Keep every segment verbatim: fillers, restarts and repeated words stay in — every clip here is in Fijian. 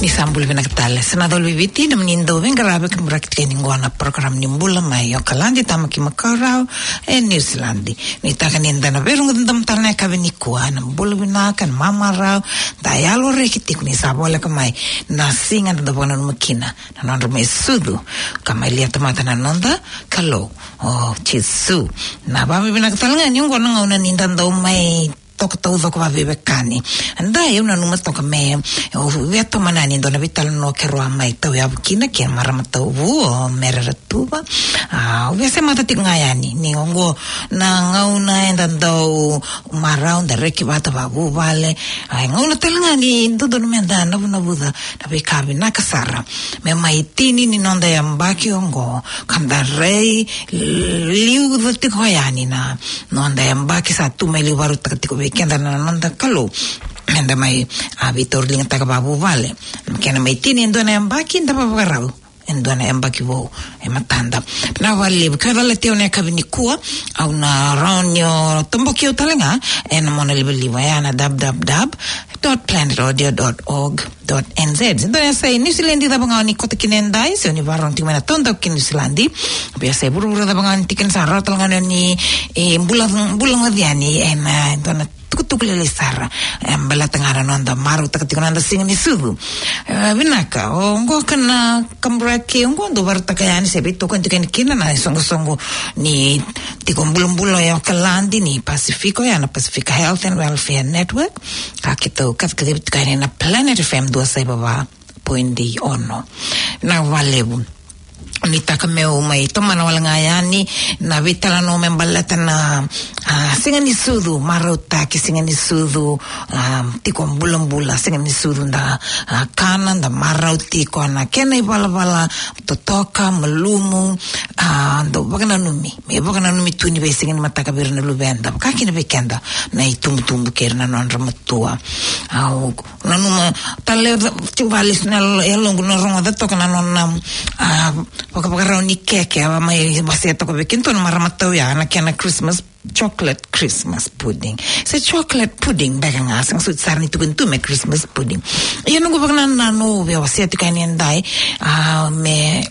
Ni sa bula vinaka tale, sa na colo i Viti, na mani dau veiqaravi ka muraki tiko ni qo na program ni Bula mai Okaladi, Tamaki Makaurau e Niusiladi. Ni taka ni da na veirogoci domo tale na yakavi nikua, na bula vinaka, na mamarau, da yalo reki tiko ni sa voleka mai na siga da dau vakananuma kina na nodra mai sucu ka mai lia tamata na noda Kalou o Jisu. Na vavinavinaka tale ga ni oqo na gauna ni da dau mai toka taucoko vaveiwekani. Da, au nanuma toka me, au via tomana yani e dua na veitalanoa keirau a mai tauyavu kina kei na marama tauvu o Mere Ratuva. A, au via semata tiko ga yani ni oqo na gauna eda dau marau, da reki vata vakavuvale. A, e gauna tale ga ni dodonu meda navunavuca na veika vinaka sara me mai tini ni noda yabaki oqo, ka da rai liuca tiko yani na noda yabaki sa tu mai liu, vakarautaka tiko vei keda na noda Kalou meda mai, a, veitauriligataka vakavuvale. Kena mai tini e dua na yabaki, da vavakarau e dua na yabaki vou e matada. Na vakalevu, ke o calati au na yakavi nikua, au na rawa ni o toboki au tale ga ena monalivaliva, ya na w w w dot planet audio dot org dot n z. Dua na yasai Niusiladi cava ga o ni koto kina edai, se o ni vakarorogo tiko mai na taudaku ki Niusiladi. Vei yasai vuravura cava ga o ni tiko kina, sa rawa tale ga ni o ni, e, bula, bula goci yani ena, e, dua na tukutuku lailai sara, e, baleta ga na noda marautaka tiko na noda siga ni sucu. E, vinaka, oqo ka na kaburaki, oqo dau vakarautaka yani se veitokoni tiko yani kina na isoqosoqo ni tiko bulabula e Okaladi ni Pasifika, ya na Pacific Health and Welfare Network. Ka keitou kaci, kaci tiko yani na Planet F M dua saiva va point ono. Na vakalevu. Ni taka meu mai tomana wale ga yani na veitalanoa me baleta na, a, siga ni sucu, marautaki siga ni sucu, a, tiko bulabula, siga ni sucu da, a, kana, da marau tiko, na kena ivalavala totoka, malumu, a, dau vakananumi, me vakananumi tu ni veisiga ni mataka vei ira na luveda, vaka kina vei keda na itubutubu kei ira na nodra matua. Au nanuma tale, tiko vakalesu na yalo-, yaloqu na rogoca toka na nona, a, vakavakarau ni keke, a mai wasea toka vei kedatou na marama tauya na kena Christmas, chocolate Christmas pudding. Se chocolate pudding beka ga, sega soti sara ni tukuni tu me Christmas pudding. Ia noqu vakanananu, au via wasea tiko yani edai, a, me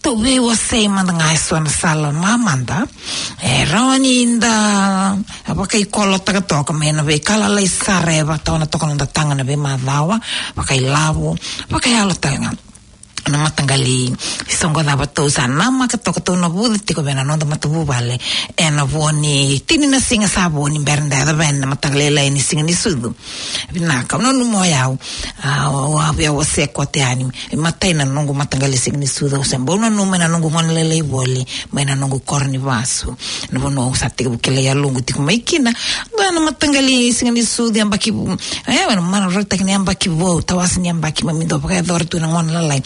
tou veiwasei mada ga eso na sala mamada e rawa ni da vakaikolotaka toka mai na veika lalai sara e vakatawana toka na noda taga na veimacawa, vakailavo, vakayalo tale ga. Na mataqali soqo cava tou sa namaka toka, tou navuca tiko vei na noda matavuvale ena vo ni tini na siga sa vo ni bera da yaco vei na mataka lailai ni siga ni sucu. Vinaka, au nanuma o yau, a, au a via wasea kote yani. E matai na noqu mataqali siga ni sucu, au se bau nanuma ena noqu gone lailai voli mai na noqu koro ni vasu. Na vanua au sa tekivu kilai yaloqu tiko mai kina. Dua na mataqali siga ni sucu, yabaki, e, na marautaki ni yabaki vou, tawase ni yabaki, keimami dau vakayacora tu na gone lalai.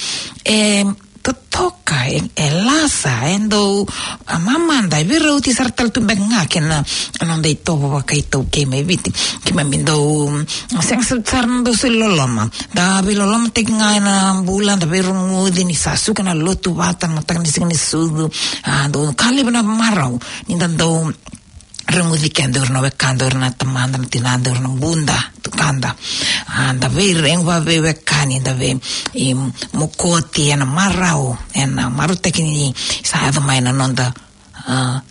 E totoka, e, e lasa, e dau, a, mamada, e veirauti sara tale tu beka ga kei na noda itovo vakaitaukei mai Viti. Keimami dau, mm, sega sara, sara na dau soli loloma. Da veilolomataki ga ena bula, da veirogoci ni sa suka na lotu vata na mataka ni siga ni sucu. A, dau ka levu na marau ni da dau rogoci keda, o ira na wekada, o ira na tamada, na tinada, o ira na buda, tukada. A, da veiregu vaveiwekani, da vei, i, mokoti ena marau, ena marautaki ni sa yaco mai na noda, a,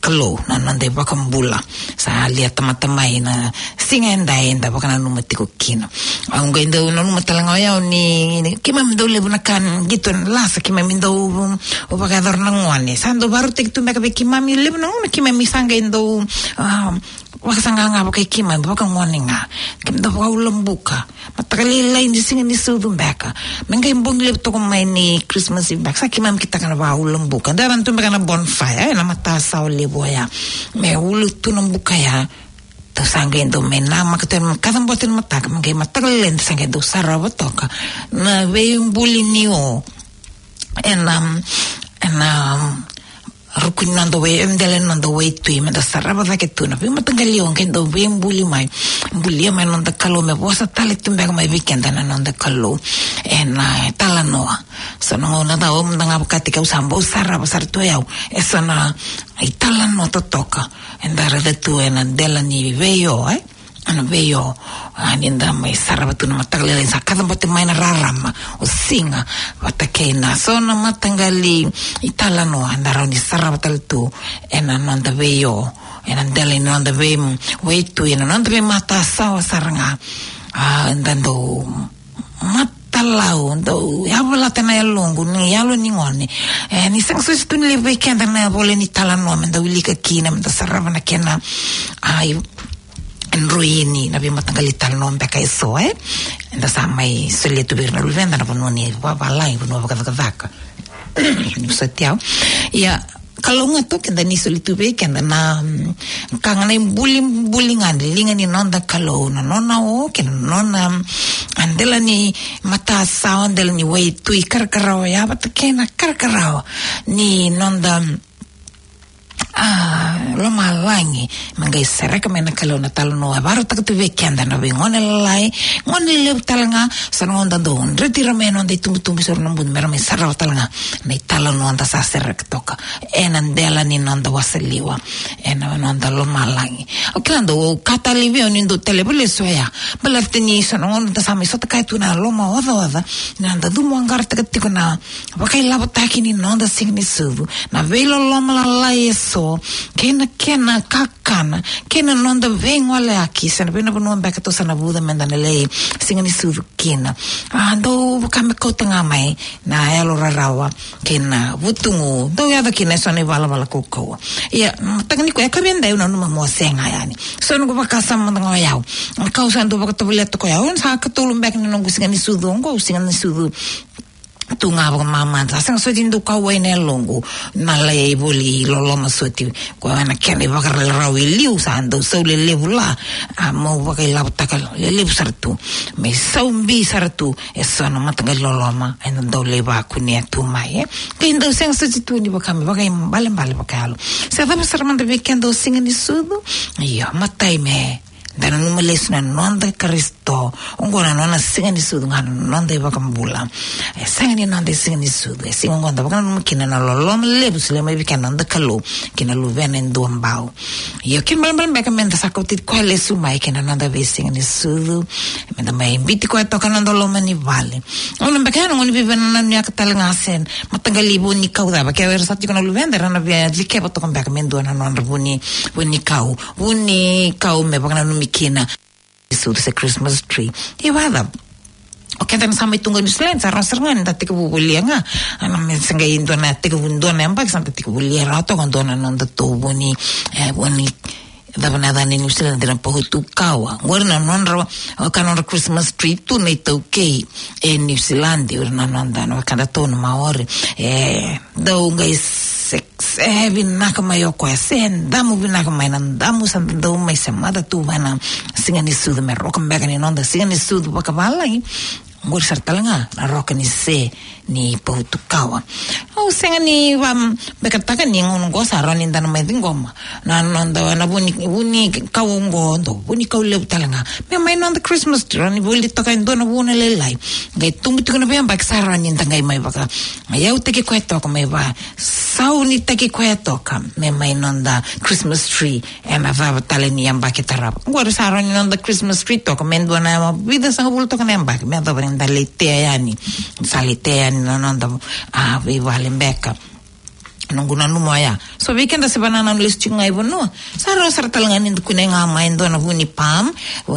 Kalou, na noda iVakabula. Sa lia tamata mai na siga edai eda vakananuma tiko kina. Au qai dau nanuma tale ga o yau ni, ni keimami dau levu na ka qito e lasa, keimami dau, um, vakayacora na gone. Sa dau vakarautaki tu beka vei keimami levu na gauna, keimami sa qai dau, um, vakasaqaqa vakai keimami, vakagone ga. Keimami dau vakaulabuka. Mataka lailai ni siga ni sucu beka. Me qai bogi levu toka mai ni Christmas Eve beka. Sa keimami kitaka na vakaulabuka. Da yaco tu beka na bonfire, e, na matasawa levu oya. Me ulu tu na buka ya. Tou sa qai dau mai namaka tu, kacabote na mataka, me qai mataka lailai da sa qai dau sarava toka na veibuli ni o ena, ena ruku ni noda wai, e dela ni noda waitui, meda sarava cake tu na veimataqali o qai dau veibuli mai, bulia mai na noda Kalou, me vosa tale tu beka mai vei keda na noda Kalou ena italanoa. So na gauna cava mada ga vakataki au sa bau sarava sara tu o yau eso na italanoa totoka eda raica tu ena dela ni veio, e? na veio, a, ni da mai sarava tu na mataka lailai, sa kacabote mai na rarama, o siga, vata kei na so na mataqali italanoa eda rawa ni sarava tale tu ena noda veio, ena dela ni noda vei, waitui, ena noda veimatasawa sara ga. A, eda dau matalau, dau yavalata na yaloqu, ni yalo ni gone. E, ni sega soti tu ni levu vei keda na vole ni talanoa meda wilika kina, meda sarava na kena, a, i, droini na veimataqali talanoa beka eso, e. Eda sa mai solia tu vei ira na luveda na vanua ni vavalagi, vanua vakacakacaka. Ni soti au. Ia, Kalou ga tu keda ni soli tu vei keda na, mm, ka ga na ibulibuli ga ni liga ni noda Kalou, na nona o, kei na nona, mm, a dela ni matasawa, dela ni waitui karakarawa ya, vata kei na karakarawa ni noda, mm, a, lomalagi. Me qai sereka mai na Kalou na talanoa e vakarautaka tu vei keda na veigone lalai, gone lelevu tale ga, sa na noda dau dreti ira mai na noda itubutubu, sa ra na budu me ra mai sarava tale ga na italanoa da sa sereka toka ena dela ni noda wasaliwa, ena noda lomalagi. O kila dau, au ka tale vei au ni dau tale vale so ya. Baleta ni so na gauna da sa mai sota kaya tu na lomaocaoca, na noda cumu qarautaka tiko na vakailavotaki ni noda siga ni sucu, na veiloloma lalai eso, kei na kena kakana, kei na noda veigoleyaki, se na vei na vanua beka tou sa na vuca meda na lai siga ni sucu kina. A, dau vaka me kauta ga mai na yalo rarawa kei na vutugu, dau yaco kina eso na ivalavala kaukauwa. Ia, mataka nikua, e ka vei au, au nanuma mo sega yani. So noqu vakasama mada ga o yau, ka au sa dau vakatovolea toka o yau, sa ikatolu beka ni noqu siga ni sucu oqo, au siga ni sucu tu ga vakamamada. Sa sega soti ni dau kauwai na yaloqu na lai voli loloma soti. Koya na kena ivakarau e liu, sa dau sau lelevu la, a, meu vakailavotaka lelevu sara tu, me sau bi sara tu eso na mataqali loloma eda dau lai vakunea tu mai, e. Kei dau sega soti tu ni vaka me vakaibalebale vakayalo. Se cava sara mada vei keda o siga ni sucu, io, matai me da nanuma lesu na noda Karisito. Oqo na nona siga ni sucu ga na noda iVakabula. E sega ni noda siga ni sucu, e siga oqo da vakananuma kina na loloma levu solia mai vei keda na noda Kalou ki na Luvena e Duabau. Io, kena ibalebale beka meda sa kauti koya lesu mai ki na noda veisiga ni sucu, meda mai biuti koya toka na noda loma ni vale. Au nanuma beka ya na gauna ni veivakanananu yaka tale ga se mataqali vunikau cava, ke o ira sa tiko na luveda era na via cikeva toka beka me dua na nodra vuni, vunikau, vunikau me vakananumi kina sucu se Christmas tree. Ia vakacava? O keda na sa mai tu ga New Zealand, sa rawa sara ga ni da tekivu volia ga. Ana me se qai dua na tekivu, dua na yabaki sa da tekivu volia rawa toka dua na nodatou vuni, e, vuni, cava na yaca ni New Zealand, na pohutukawa. Qori na nodra, o ka nodra Christmas tree tu na iTaukei e New Zealand, o ira na noda, na wekadatou na Maori. E, dau qai se, se vinaka mai o koya, se damu vinaka mai, na damu sa dau mai semata tu va na siga ni sucu, me roka beka ni noda siga ni sucu vakavalagi. Qori sara tale ga na roka ni se ni pohutukawa. Au sega ni va, bekataka ni gauna oqo sa rawa ni da na mai ciqoma na noda na vuni, vunikau oqo, dau vunikau levu tale ga. Me mai noda Christmas tree, rawa ni voli toka e dua na vuna lailai. Qai tubu tiko na veiyabaki, sa rawa ni da qai mai vakayautaki koya toka, mai vakasaunitaki koya toka me mai noda Christmas tree ena cava tale ni yabaki tarava. Qori sa rawa ni noda Christmas tree toka me dua na vica sagavulu toka na yabaki, me yacova ni da lai tea yani, sa lai tea yani na noda, a, veivale beka. Noqu nanuma oya. So vei keda se vakanananu lesu tiko ga i vanua, sa rawa sara tale ga ni da kunea ga mai e dua na vuni palm.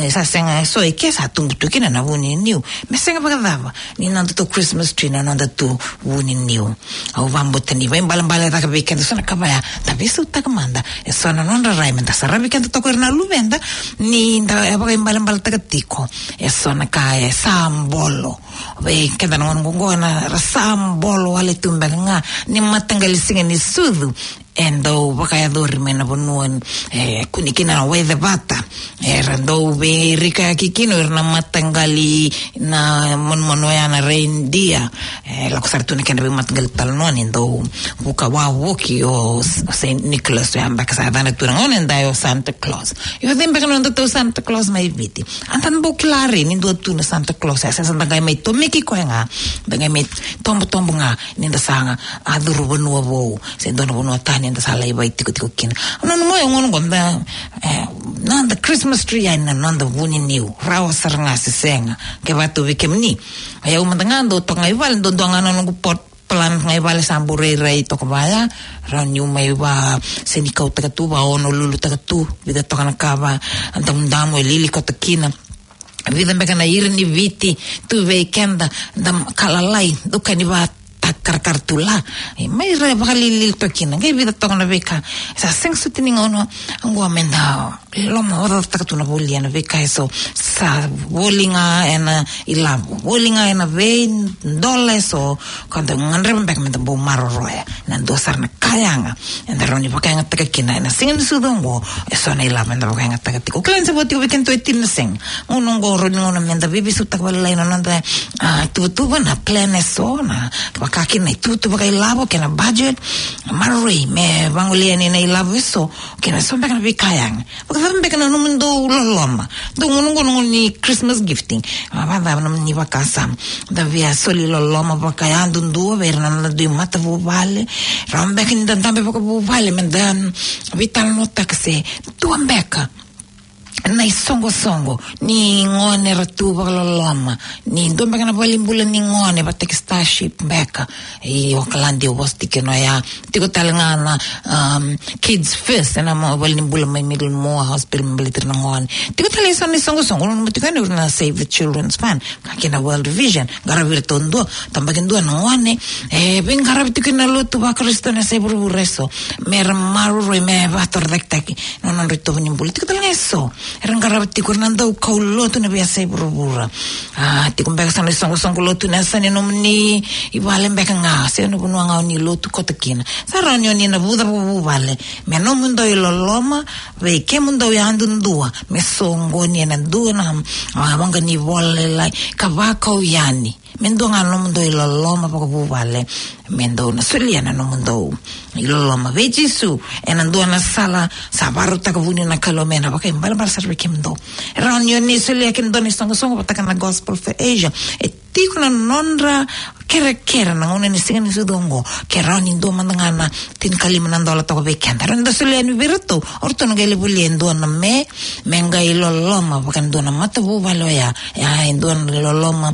Sa sega, so i ke sa tubu tu kina na vuni niu. Me sega vakacava ni nodatou Christmas tree na nodatou vuni niu. Au vakabauta ni vaibalebale cake vei keda so na ka vaya, da veisautaka mada eso na nodra rai, meda saravi keda toka o ira na luveda, ni da, e vakaibalebaletaka tiko eso na ka e sa bolo vei keda na gauna oqo, na ra sa bolo wale tu beka ga ni mataqali siga ni sucu. E dau vakayacori mai na vanua, e, kune kina na waicevata. Era dau veirikayaki kina o ira na mataqali, na manumanu oya na reindeer. E lako sara tu na kedra veimataqali talanoa ni dau vuka wavoki o S-, o Saint Nicholas, oya beka sa yacana tu na gauna edai o Santa Claus. Io, cei beka na nodatou Santa Claus mai Viti? A da bau kila re ni dua tu na Santa Claus, e, sa da qai mai tomiki koya ga, da qai mai tobotobo ga ni da sa ga a curu vanua vou se dua na vanua tani eda sa lai vakaitikotiko kina. Au nanuma oya, gauna oqo da, e, noda Christmas tree yani na noda vuniniu, rawa sara ga se sega. Ke vaka tu vei kemuni, o yau mada ga dau toka ga i vale, dau dua ga na noqu pot plant ga i vale sa bau rairai toka vaya. Rawa niu mai vasenikautaka tu, vaonolulutaka tu, vica toka na ka vadamudamu e lili koto kina. Vica beka na ira ni Viti tu vei keda, da ka lalai, dau ka ni vata karakara tu la. E, mai ra vakalilili toka kina. Qai vica toka na veika. Sa sega soti ni gauna oqo meda lomaocataka tu na volia na veika eso. Sa voli ga ena ilavo, voli ga ena veidola eso. Ka da gadreva beka meda bau maroroya na dua sara na ka yaga eda rawa ni vakayagataka kina ena siga ni sucu oqo. Eso na ilavo eda vakayagataka tiko. Kila ni sa vo tiko vei kedatou e tini na sega. Gauna oqo rawa ni gauna meda veiveisautaka vakalailai na noda, a, tuvatuva, na plan eso, na vaka kina na ituvatuva vakailavo kei na budget. Maroroi me vagolea yani na ilavo eso kei na so beka na veika yaga. Vakacava beka na nomudou loloma? Dou gauna oqo na gauna ni Christmas gifting. A, vakacava na nomuni vakasama? Da via soli loloma vakayadudua vei ira na noda dui matavuvale. Rawa beka ni da dabe vakavuvale meda veitalanoataka se dua beka na isoqosoqo ni gone era tu vakaloloma, ni dua beka na valenibula ni gone vata kei Starship beka. I Okaladi au vosa tiko kina oya. Tiko tale ga na, um, Kids First ena valenibula mai Middlemore Hospital me baleti ira na gone. Tiko tale eso na isoqosoqo, nanuma tiko yani o ira na Save the Children's Fund, ka kei na World Vision. Qaravi iratou dua, tabaki dua na gone. E veiqaravi tiko kina na lotu vaKarisito ena yasai vuravura eso, mera maroroi me vakatorocaketaki na nodra itovo ni bula. Tiko tale ga eso era qarava tiko ira na daukaulotu ena veiyasai vuravura. A, tiko beka eso na isoqosoqo lotu ena yasa ni nomuni vale beka ga se na vanua ga oni lotu koto kina. Sa rawa ni oni na vuca vakavuvale me nomudou iloloma vei kemudou yadudua, me soqoni ena dua na, a, waqa ni vola lailai ka vakau yani. Me dua ga na nomudou iloloma vakavuvale, me dou na solia na nomudou iloloma vei Jisu ena dua na sala sa vakarautaka vuni na Kalou me na vakaibalebale sara vei kemudou. E rawa ni oni solia kina dua na isoqosoqo vata kei na Gospel for Asia. E tiko na nodra kerekere na gauna ni siga ni sucu oqo, ke rawa ni dua mada ga na tinikalima na dola toka vei keda. Rawa ni da solia yani vei iratou, o ratou na qai lai volia e dua na me, me qai loloma vaka e dua na matavuvale oya. Ia, e dua na loloma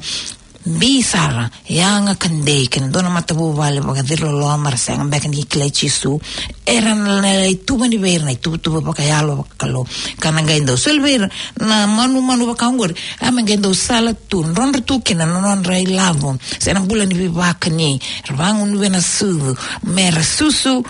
bi sara, yaga ka dei, kei na dua na matavuvale vakaciriloloma, ra sega beka ni kilai Jisu. Era na lai tuvani vei ira na ituvatuva vakayalo vakakalou, ka na qai dau soli vei ira na manumanu vaka oqori. A, me qai dau sala tu, drodro tu kina na nodra ilavo se na bula ni veivakani. Ra vagunuva na sucu, mera susu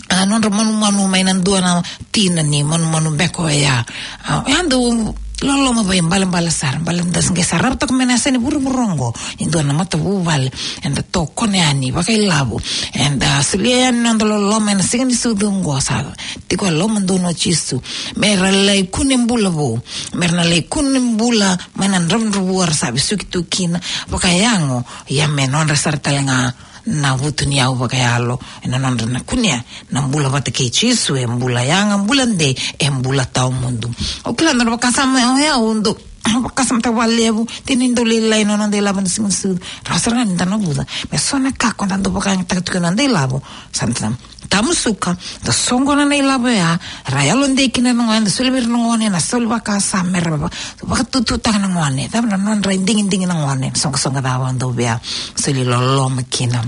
a, nodra manumanu mai na dua na tina ni manumanu beka oya. A, oya dau loloma vakaibalebale sara, baleta da se qai sarava toka mai na yasa ni vuravura oqo e dua na matavuvale eda tokona yani vakailavo, eda solia yani na noda loloma ena siga ni sucu oqo. Sa tiko e lomadonu o Jisu mera lai kune bula vou, mera na lai kune bula mai na dravudravua ra sa vesuki tu kina vakayago. Ia me nodra sara tale ga na vutuniyau vakayalo ena nodra na kunea na bula vata kei Jisu, e bula yaga, bula dei, e bula tawamudu. Au kila na vakasama oya, au dau vakasamataka vakalevu, tini dau lailai na noda ilavo ena siga ni sucu. Rawa sara ga ni da na vuca me so na ka ko da dau vakayagataka tiko na noda ilavo. Sa da tamusuka, da soqona na ilavo oya, ra yalodei kina na gone, da soli vei ira na gone na soli vakasama, mera va-, vakatututaka na gone. Cava na nodra idigidigi na gone, soqosoqo cava dau via soli loloma kina.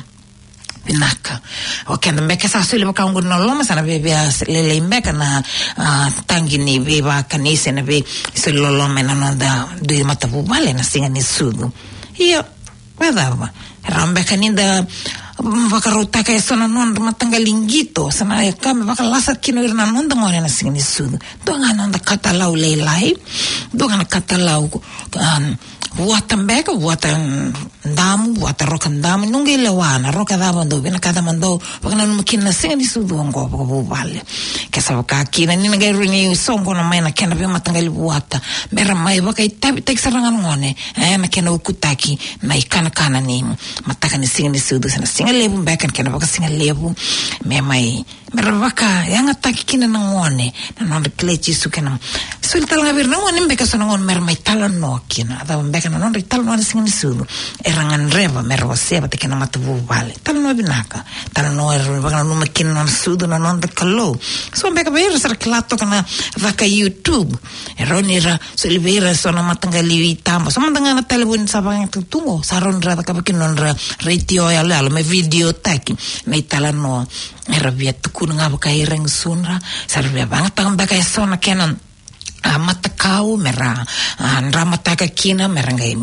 Vinaka. O keda beka sa soli vaka oqori na loloma, sa na viavia lailai beka na, a, tagi ni veivakani se na veisoli loloma ena noda dui matavuvale ena siga ni sucu. Ia, vakacava? Rawa beka ni da, mm, vakarautaka eso na nodra mataqali qito, sa na ka me vakalasa kina o ira na noda gone ena siga ni sucu. Dua ga na noda katalau lailai, dua ga na katalau, um, vuata beka, vuata, mm, damu, vuata roka damu, ni qai lewa na roka cava dou vinakata mo dou vakananuma kina na siga ni sucu oqo vakavuvale. Ke sa vaka kina ni na qai rawa ni soqona mai na kena veimataqali vuata, mera mai vakaitavitaki sara ga na gone, e, na kena ukutaki na ikanakana ni mataka ni siga ni sucu, se na siga levu beka, na kena vakasigalevu, me mai, mera vakayagataki kina na gone na nodra kilai Jisu kei na, soli tale ga vei ira na gone beka, so na gone mera mai talanoa kina, a cava beka na nodra italanoa na siga ni sucu. era gadreva me ra wasea vata kei na matavuvale. Talanoa vinaka, talanoa era vakananuma kina na nona sucu na noda Kalou. So beka vei ira sa ra kila toka na caka YouTube, e rawa ni ra soli vei ira so na mataqali itaba. So mada ga na talevoni sa vakayagataki tu qo, sa rawa ni ra cakava kina nodra retio yaloyalo me video taki na italanoa era via tukuna ga vaka ira e gusudra. Sa ra via vagataka beka e so na kena, a, matakau me ra, a, dramataka kina me ra qai,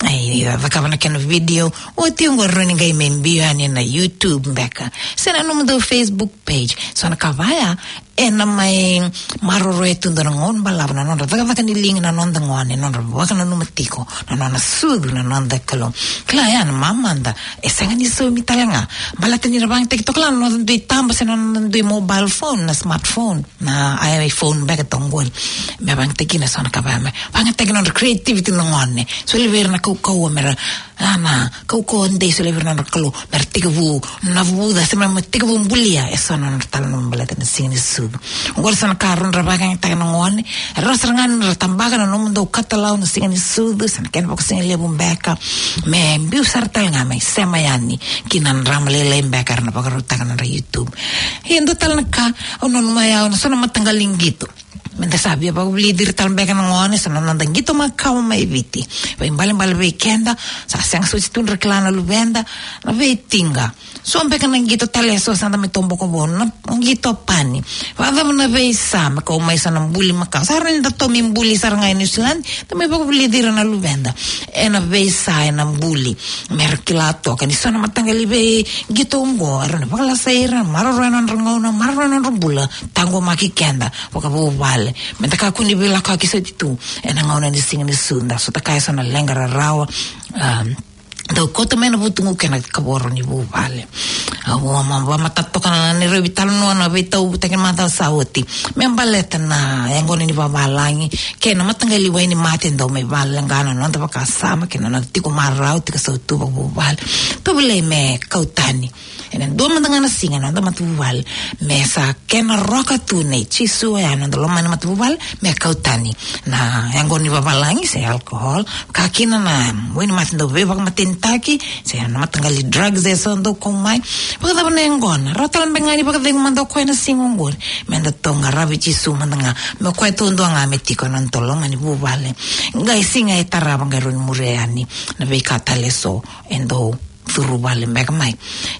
ai, cakava na kena video. Oti oqo rawa ni qai mai biu yani na YouTube beka se na nomudou Facebook page. So na ka vaya ena mai maroroya tu dua na gauna balavu na nodra cakacaka ni liga na noda gone, nodra vakananuma tiko na nona sucu na noda Kalou. Kila ya na mamada e sega ni saumi tale ga. Baleta ni ra vakayagataki toka la na noda dui taba se na noda dui mobile phone, na smartphone, na iPhone beka toka qori. Me vakayagataki na so na ka vaya me vakayagataki nodra creativity na gone. Soli vei ira na kaukauwa me ra, a, na kaukauwa dei, soli vei ira na nodra Kalou me ra tekivu navuca se me ra tekivu bulia e so na nodra talanoa baleta na siga ni sucu. Oqori so na ka rawa ni ra vakayagataka na gone. E rawa sara ga ni ra tabaka na nomudou katalau na siga ni sucu se na kena vakasigalevu beka, me biu sara tale ga mai sema yani ki na drama lailai beka era na vakarautaka na nodra YouTube. Ia dua tale na ka au nanuma ya, na so na mataqali qito. Me da sa via vakavulici ira tale beka na gone, so na noda qito makawa mai Viti. Vaibalebale vei keda, sa sega soti tu ni ra kila na luveda na veitiqa. So beka na qito tale e so sa da mai toboka vou, na qito pani. Vakacava na veisa me kau mai so na buli makawa? Sa rawa ni da tomi buli sara ga e New Zealand, da mai vakavulici ira na luveda ena veisa, ena buli, me ra kila toka ni so na mataqali veiqito oqo e rawa ni vakalasai ira, maroroya na nodra gauna, maroroya na nodra bula. Taqomaki keda vakavuvale me da kakua ni veilakoyaki soti tu ena gauna ni siga ni sucu. Da sota kaya so na leqa rarawa, um, dau koto mai na vutugu kei na kavoro ni vuvale. Au a ma, vamatata toka na neirau veitalanoa na veitauvutaki ni macawa sa oti me baleta na yaqona ni vavalagi kei na mataqali wai ni mate dau mai valeqa na noda vakasama kei na noda tiko marau, tiko sautu vakavuvale. Tovolei me kau tani ena dua mada ga na siga na noda matavuvale, me sa kena roka tu nei Jisu oya na noda loma ni matavuvale, me kau tani na yaqona ni vavalagi se alcohol, ka kina na wai ni mate dau veivakamatenitaki se na mataqali drugs e so dau kau mai. Vakacava na yaqona? Rawa tale beka ga ni vakacegu mada o koya na siga oqori. Me da tou qaravi Jisu mada ga, me o koya taudua ga me tiko ena noda loma ni vuvale. Qai siga e tarava qai rawa ni muria yani na veika tale e so e dau curu vale beka mai.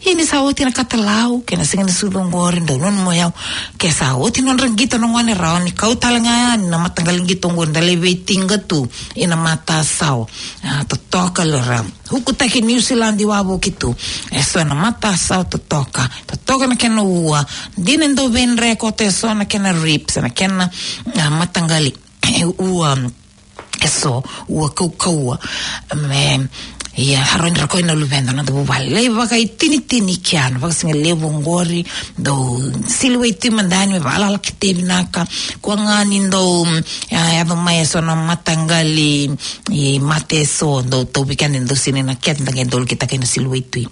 Ia ni sa oti na katalau kei na siga ni sucu oqori, dau nanuma o yau, ke sa oti nodra qito na gone, rawa ni kau tale ga yani na mataqali qito oqori, da lai veitiqa tu ina matasawa. A, totoka, lera ukutaki New Zealand i wavoki tu e so na matasawa, totoka, totoka na kena ua. Dina e dau veidre koto e so na kena ribs, na kena, a, mataqali, e, ua, e so, ua kaukauwa. Me, ia, rawa ni ra koi na luveda na noda vuvale. Lai vakaitinitini kea na vakasigalevu oqori, dau sili waitui mada yani me vakalala kete vinaka. Kua ga ni dau, mm, a, yaco mai e so na mataqali, e, mate e so, dau tauvi keda e dau sini na kete, da qai dau likitaka na sili waitui.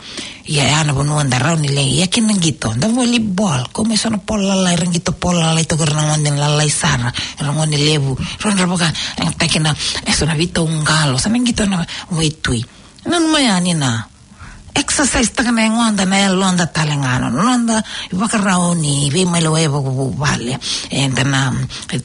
Ia, ya na vanua da rawa ni lai, ia kina qito, da volleyball, kau mai so na polo lalai, era qito polo lalai toka, era na gone lalai sara, era gone levu, rawa ni ra vakayagataki na, e so na veitauqalo, sa na qito na waitui. Nanuma yani na exercise taka na yagoda, na yaloda tale ga, na noda ivakarau ni veimaliwai vakavuvale. Eda na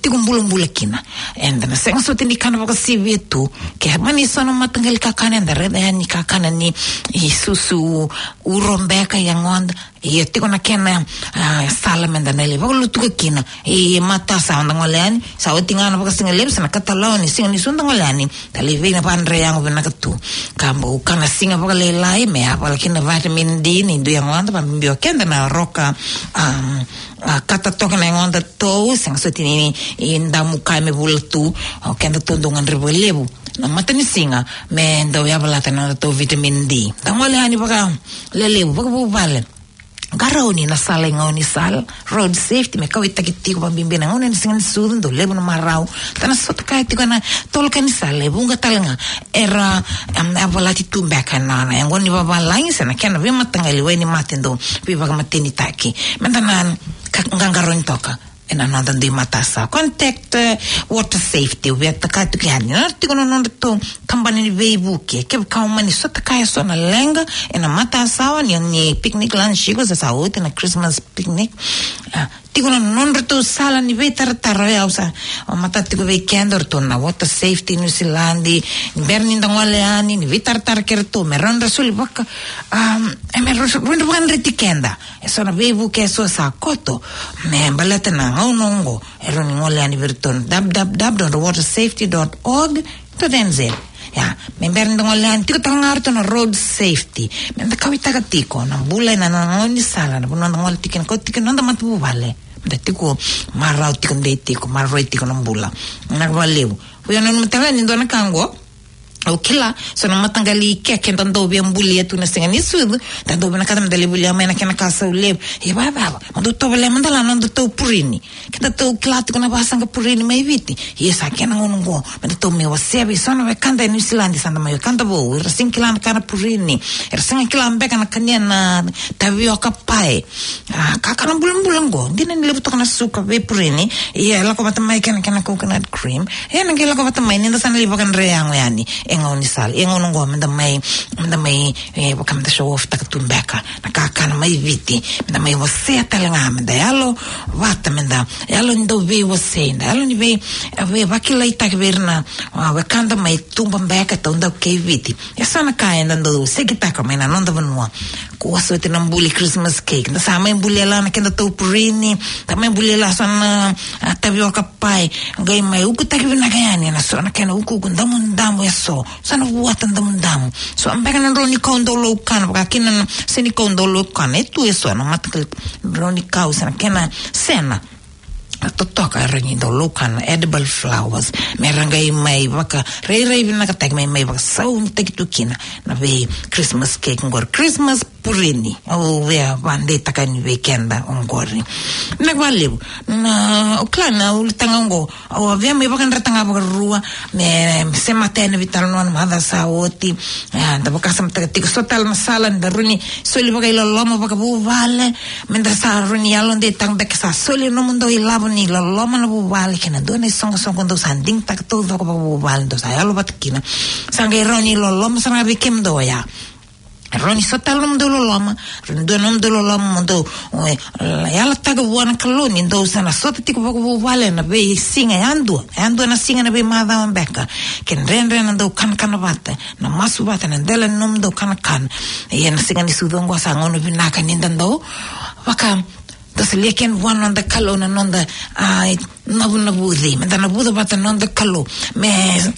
tiko bulabula kina. Eda na sega soti ni kana vakasivia tu. Ke mani so na mataqali kakana eda raica yani, kakana ni isusu uro beka e yagoda. Ia tiko na kena, a, sala meda na lai vakalutuka kina. E matasawa da gole yani, sa oti ga na vakasigalevu, sa na katalau ni siga ni sucu da gole yani. Da lai vei na vadre yago vinaka tu. Ka bau kana siga vakalailai me yavala kina vitamin D ni dui yagoda, vabibi o keda na roka, um, a, kata toka na yagoda tou, sega soti ni, ni damu ka me vula tu, o keda tou dau gadreva vakalevu na matanisiga me dau yavalata na noda tou vitamin D. Da gole yani vakalelevu, vakavuvale. Qarauni na sala i gaunisala, road safety, me kauwaitaki tiko, vabibi na gauna ni siga ni sucu, dau levu na marau. Da na sota kaya tiko na tolo ka ni sala, e vuqa tale ga era, em, yavalati tu beka na, na yaqona ni vavalagi se na kena veimataqali wai ni mate dau veivakamatenitaki. Meda na ka, qaqarauni toka. ena noda dui matasawa. Contact, eh, Water Safety, au via kaya tiko yani. Na tiko na nodratou kabani ni veivuke. Kevaka o mani sotava eso na leqa ena matasawa ni, ni picnic lunch, iko sa, sa oti na Christmas picnic. Ah, tiko na nodratou sala ni veitaratara, o yau sa, o matata tiko vei keda, o ratou na Water Safety New Zealand, ni bera ni da gole yani, ni veitaratara kei ratou, me rawa ni ra soli vaka, um, e me rawa ni ra vakadreti keda. Eso na veivuke eso sa koto, me baleta na gauna oqo, e rawa ni gole yani vei ratou na w w w dot water safety dot org dot n z. Ia, me bera ni da gole yani, tiko tale ga o ratou na Road Safety. Me da kauwaitaka tiko na bula ena, na gaunisala, na vanua da gole tiko kina, kauta tiko na noda matavuvale. Da tiko marau, tiko dei, tiko maroroi tiko na bula. Vinaka vakalevu. Vei au, nanuma tale ga ni dua na ka oqo. Au kila, so na mataqali keke da dau via bulia tu na Siga ni Sucu, da dau vinakata me da lai volia mai na kena ka sau levu. E vacava, mo dou tovolea mada la na nodatou purini. Kedatou kila tiko na vasaqa purini mai Viti. Ia sa kena gauna oqo, me datou mai wasea vei so na wekada e Niusiladi, sa da mai wekada vou, era sega ni kila na ka na purini, era sega ni kila beka na kania na tavioka pae. A, kakana bulabula oqo, dina ni levu toka na suka vei purini, ia e lako vata mai kena, kena coconut cream. Ia na qai lako vata mai ni da sa na lai vakadre yago yani e gaunisala. Ia gauna oqo me da mai, me da mai, e, vaka me da show off taka tu beka na kakana mai Viti, me da mai wasea tale ga, me da yalo vata, me da yalo ni dau veiwasei, da yalo ni vei, vei vakilaitaki vei ira na, a, wekada mai tuba beka, taudaku kei Viti. E so na ka eda dau sekitaka mai na noda vanua. Kua soti na buli Christmas cake. Da sa mai bulia la na kedatou purini, da mai bulia la so na, a, tavioka pae. Qai mai ukutaki vinaka yani ena so na kena ukuuku damudamu eso. So na vuata damudamu. So beka na drau ni kau dau laukana, vaka kina na senikau dau laukana. E tu eso na mataqali drau ni kau, se na kena sena. A totoka era ni dau laukana, edible flowers. Me ra qai mai vakarairai vinakataki, mai, mai vakasaunitaki tu kina na vei Christmas cake qori, Christmas purini. Au via vadeitaka yani vei keda oqori. Vinaka vakalevu. Na, au kila na ulutaga oqo, au a via mai vakadreta ga vakarua, me, me semata yani vei tale na macawa sa oti. E, da vakasamataka tiko so tale na sala ni da rawa ni soli vakailoloma vakavuvale. Me da sa rawa ni yalodeitaka beka, sa soli nomudou ilavo ni loloma na vuvale kei na dua na isoqosoqo dou sa digitaka taucoko vakavuvale, dou sa yalo vata kina. Sa qai rawa ni loloma sara ga vei kemudou oya. Rawa ni so tale nomudou loloma, rawa ni dua nomudou loloma mo dou, e, yalataka vua na Kalou ni dou sa na sota tiko vakavuvale na veisiga yadua, yadua na siga na veimacawa beka. Ke dredre na dau kanakana vata, na masu vata ena dela ni nomudou kanakana. Ia na Siga ni Sucu oqo sa gauna vinaka ni da dau vaka, da solia kina vua na noda Kalou na noda, a, navunavuci. Me da navuca vata na noda Kalou me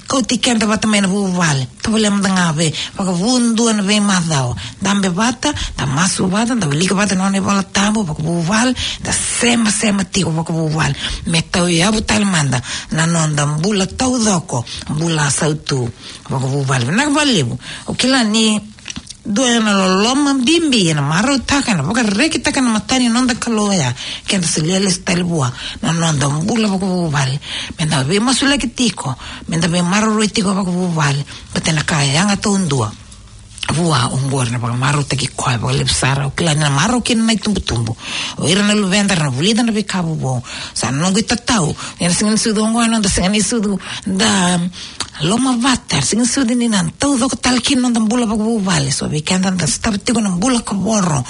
kauti keda vata mai na vuvale. Tovolea mada ga vei, vakavu dua na veimacawa. Dabe vata, da masu vata, da wilika vata na nona iVola Tabu vakavuvale, da semasema tiko vakavuvale. Me tauyavu tale mada na noda bula taucoko, bula sautu vakavuvale. Vinaka vakalevu. Au kila ni dua na loloma bibi ena marautaka, ena vakarekitaka na mata ni noda Kalou oya, ke da solia lesu tale vua na noda bula vakavuvale. Me da veimasulaki tiko, me da veimaroroi tiko vakavuvale. Baleta na ka e yaga taudua vua oqori na vakamarautaki koya vakalevu sara. Au kila ni na marau kina na itubutubu, o ira na luveda era na vulica na veika vovou. Sa noqu itatau ni na Siga ni Sucu oqo, na noda Siga ni Sucu, da lomavata, Siga ni Sucu ni na taucoko tale kina noda bula vakavuvale. So vei keda da sotava tiko na bula kavoro,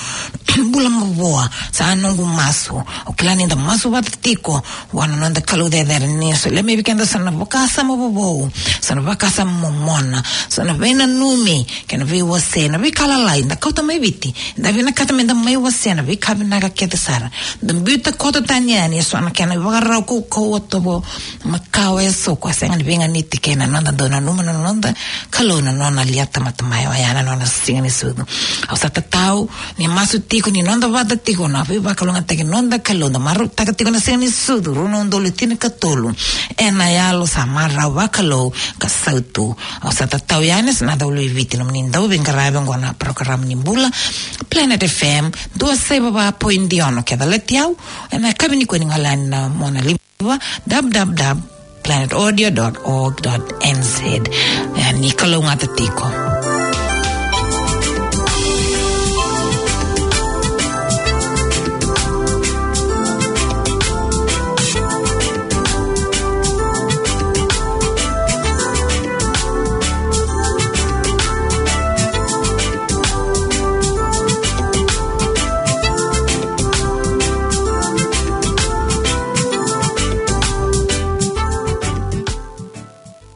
bula mavoa, sa noqu masu. Au kila ni da masu vata tiko vua na noda Kalou cecere, ni solia mai vei keda so na vakasama vovou, so na vakasama momona, so na veinanumi kei na veiwasei, na veika lalai da kauta mai Viti. Da vinakata me da mai wasea na veika vinaka kece sara. Da biuta koto tani yani eso na kena ivakarau kaukauwa, tovo makawa eso, ko sega ni veiganiti kei na noda dau nanuma na noda Kalou na nona liata mata mai oya na nona Siga ni Sucu. Au sa tatau ni masu tiko, ni noda vata tiko na veivakalougatataki noda Kalou, da marautaka tiko na Siga ni Sucu rua na udolu tinikatolu ena yalo sa marau vakalou ka sautu. Au sa tatau yani, sa na dau lui Viti, nomuni dau veiqaravi oqo na parokaramu ni bula, Planet F M, dua saiva va point ono. Ke calati au ena yakavi nikua, ni gole yani na mona live, w w w dot planet audio dot org dot n z. E, ni kalougata tiko.